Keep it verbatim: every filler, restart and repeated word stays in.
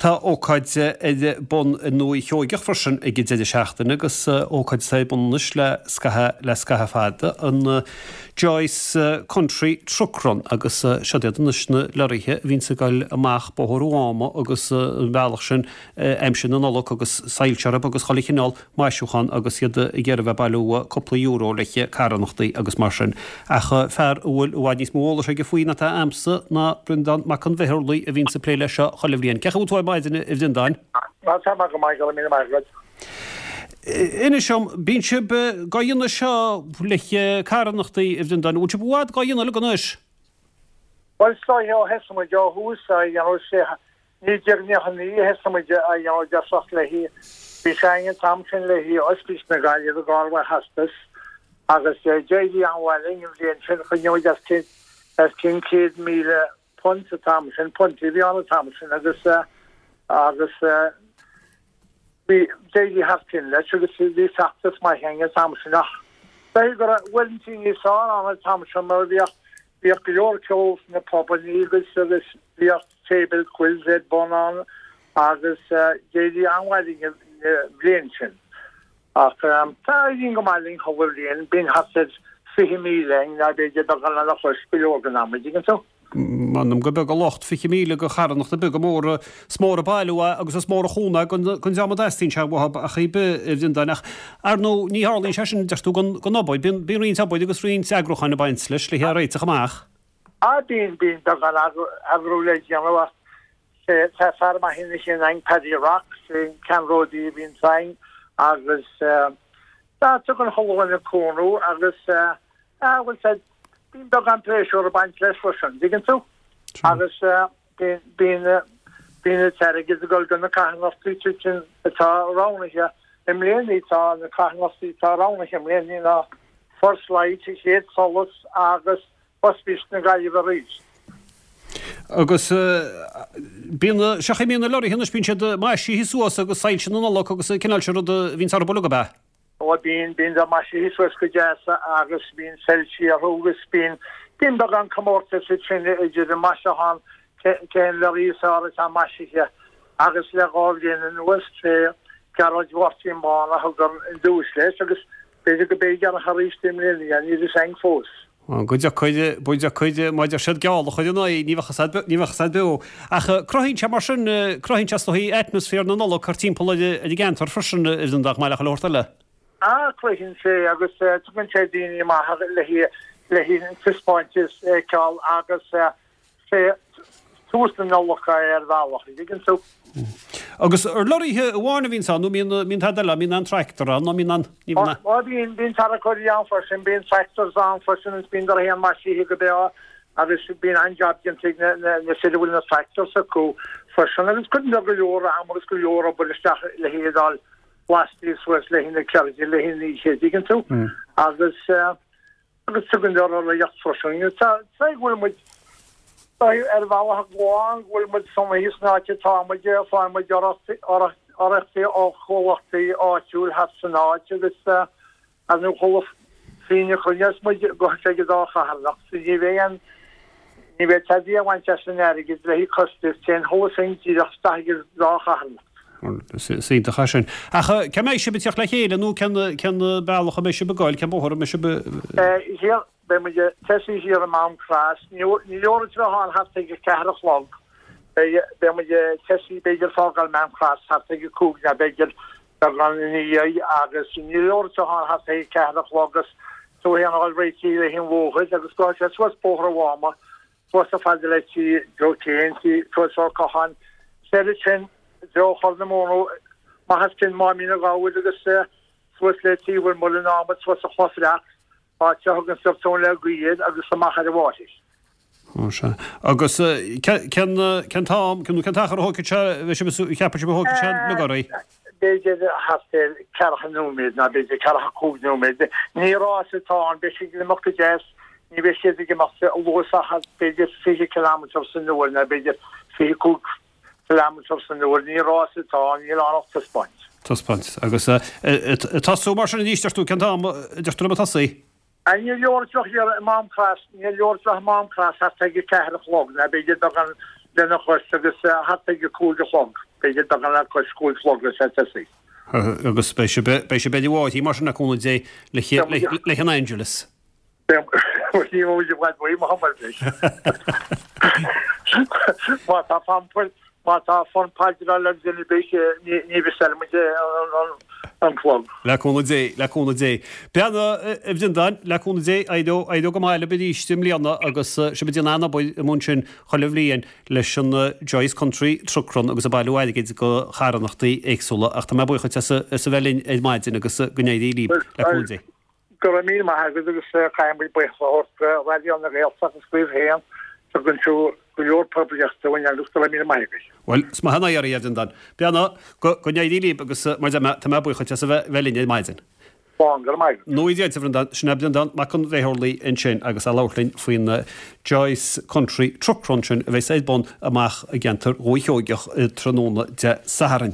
Tá ócáid ar bun i nDúiche Sheoigeach freisin ag an deireadh seachtaine agus ócáid atá ar bun anois le scaitheamh le scaitheamh fada, an Joyce Country Truck Run agus seod iad anois na leoraithe a bhíonns ag goil amach Bóthar an Mháma agus an bealach sin aimsir na Nollag agus soilse orthu agus chuile chineál maisiúchán agus iad ag iarraidh bheith ag bailiú cúpla euro le carthanachtaí agus mar sin. Ach fear a bhfuil i bhfad níos mó eolais aige faoi ná atá a'msa ná Breandán Mac an Bheithiúrlaigh a bhíonns ag plé leis seo chuile bhliain. Cén chaoi a bhfuil tú ar maidin, a Bhreandáin? Tá mé go maith, go raibh míle maith agat. Inis dom, bíonn sibh dhá dhéanamh seo le carthanachtaí, a Bhreandáin, bhfuil sibh i bhfad dhá dhéanamh uilig anois? Bhuel, is dóiche ó thosaigh muid ó thús á dhéanamh sé naoi déag nócha a naoi a thosaigh muid á dhéanamh i dtosach léi. Bhí sé againn an t-am sin léi Ospís na Gaillimhe i gcarr hospice agus d'éirigh an-mhaith linn an bhliain sin, choinnigh muid os cionn os cionn céad míle punt an t-am sin, puntaí a bhí ann an t-am sin agus agus bhí d'éirigh thar cionn leis agus bhí feachtas maith againn an t-am sin ach b'fhéidir go raibh bhfuil an tí níos fearr ann an t-am sin mar bhíodh bhíodh go leor ceol sna pubannaí agus agus bhíodh table quiz ar bun ann agus d'éirigh an-mhaith linn an bhliain sin. Ach tá éiríonn go maith linn chuile bhliain, bíonn thart ar fiche míle againn nó b'fhéidir beagán lena chois go leor den am, an dtuigeann tú. M'anam gur beag an locht fiche míle go charthanachtaí beaga móra, is mór an bailiú é agus is mór an chúnamh é don dream a dteastaíonn sé uathu ach ar bith, a Bhreandáin. Ach ar ndóigh ní tharlaíonn sé sin, deir tú, gan gan obair. Bíonn bíonn roinnt obair agus roinnt eagrúcháin ag baint leis le hé a réiteach amach. Ah bíonn, bíonn beagán eagrú le déanamh ach Tá fear maith ina chinn againn, Paddy Rock, sé an ceannródaí a bhíonns againn agus tá tugann chuile dhuine cúnamh agus ah bhuel said bíonn beagán pléisiúr ag baint leis freisin, dtuigeann tú? Agus bíonn bíonn bíonn an t-airgead ag dul go na carthanachtaí sin atá roghnaithe i mbliana tá na carthanachtaí atá roghnaithe i mbliana ná First Light, An Chéad Solas agus Ospís na Gaillimhe arís. Agus bíonn, seo chaoi a mbíonn na leoraithe anois, bíonn siad maisithe suas agus soilse na Nollag agus an cineál sin rud a bhíonns orthu uilig, ab ea? Ó bíonn, bíonn siad maisithe suas go deas agus bíonn soilsí orthu agus bíonn, bíonn beagán comórtas ansin idir an maisiúchán, cén leoraí is fearr atá maisithe agus le dhá bhliain anuas sé Gearóid Mháirtín Bán a thug an duais leis agus b'fhéidir go mbeidh air arís i mbliana, níl fhios againn fós. Go dtiocfaidh, go dtiocfaidh, má deir siad geall a chur ina aghaidh, ní bheadh a fhios ní bheadh a fhios a'd beo. Ach cruthaíonn sé mar sin, cruthaíonn sé is dóichí atmaisféar na Nollag thart timpeall ar an gceantar freisin, a Bhreandáin, chomh maith le chuile shórt eile. Ah, cruthaíonn sé agus tugann sé daoine amach le le haghaidh an taispeántas a fheiceáil agus sé tús na Nollag é ar bhealach, an dtuigeann tú. Agus ar lorraithe amháin a bhíonns ann nó mbíonn mbíonn tada eile, mbíonn an tractor ann nó mbíonn an, ní bhíonn Ó bíonn, bíonn tarracóirí ann freisin, bíonn tractors ann freisin agus bíonn dar féin maisithe go breá agus bíonn an-jab déanta ag na na na fir a bhfuil na tractors acu freisin agus cuireann siad go leor am agus go leor obair isteach le hiad a fháil lasta suas le haghaidh na ceirde, le haghaidh na hoíche, dtuigeann tú? Agus eh. Agus tugann sé urraíocht freisin. Tá go bhfuil muid ar bhealach amháin go bhfuil muid sona thíos san áit atá muid, faigheann muid urraíochtaí ó chomhlachtaí áitiúil thart san áit agus ar ndóigh chuile phingin a chruinneos muid gabhfaidh sé ag an dá charthanacht so ní bheidh aon ní bheidh tada á bhaint as an airgead le haghaidh costais, téann chuile phingin díreach isteach ag an dá charthanacht. Is iontach é sin. Ach cá mbeidh sibh ag teacht le chéile nó cén cén bealach a mbeidh sibh ag goil, cén bóthar a mbeidh sibh Thiar, beidh muid ag tosaí thiar i Mám Crois. Ní leor an tráth ann thart ag a ceathair a chlog. Beidh beidh muid ag tosaí b'fhéidir fágáil Mám Crois thart ag a cúig nó b'fhéidir beagán ina dhiaidh agus ní leor an tráth ann thart ag a ceathair a chlog agus tú féin a fháil réitithe le haghaidh an bhóthair agus gabhfaidh sé suas Bóthar an Mháma suas chomh fada le tí Joe Kane, tí suas Ó Catháin, soir ansin i dtreo Chorr na Móna, amach as cionn Máimín an Ghabhair agus suas le tí Mhuileann an Adhmaid, suas an Chloich Bhreac, áit a thugann siad Tóin le Gaoith air agus amach ar an bhFáirche. Ó sea. Agus cén cén t-am, nó cén t-achar a thógfaidh sé, bheidh sibh, cheapann sibh a thógfaidh sé na gurraí? B'fhéidir thart ar ceathracha nóiméad ná b'fhéidir ceathracha cúig nóiméad. Ní rás atá ann, beidh siad ag imeacht go deas, ní bheidh siad ag imeacht luas ach b'fhéidir fiche kilometre san uair ná b'fhéidir fiche cúig kilometre san uair. Ní rás atá ann, níl ann ach taispeáint. Taispeáint. Agus ag tosú mar sin arís, deir tú, cén t-am a deir tú libh ag tosaí? Ní leor teacht thiar i Mám Crois, ní leor teacht i Mám Crois thart ag a ceathair a chlog, ná b'fhéidir beagán lena chois agus thart ag a cúig a chlog. b'fhéidir beagán le cois cúig chlog le tosaí. Agus beidh sibh beidh sibh ar bhóithre mar sin le cúnamh Dé le an Angelus. Ní bhfuil i bhfad uaidh mo thumadh leis. Má tá fonn má tá fonn paidreála ar dhuine ar bith ní mhisseáil muid an clog. Le cúnamh Dé, le cúnamh Dé. Beannacht a Bhreandáin, le cúnamh Dé, éireoidh éireoidh go maith libh arís i mbliana agus sibh ag déanamh an-obair amuigh ansin chuile bhliain leis an Joyce Country Truck Run agus ag bailiú airgid do charthanachtaí éagsúla ach tá mé buíoch duit as a bheith linn ar maidin agus go n-éirí libh, le cúnamh Dé. Go raibh míle maith agat agus caithfidh muid buíochas a thabhairt do Raidió na Gaeltachta agus daoibh féin, tugann tú go leor poiblíochta dúinn agus go raibh míle maith agat. Bhuel, is maith an oidhre é, a Bhreandáin. Beannacht, go n-éirí libh agus mar a deir mé, tá mé buíoch duit as a bheith linn ar maidin. Slán, go raibh maith agat. Nú Dia duit, a Bhreandáin. Sin é Breandán Mac an Bhéarlaí ansin agus é ag labhairt linn faoin Joyce Country Truck Run sin a bheas ar bun amach i gceantar Dhúiche Sheoigeach tráthnóna Dé Sathairn.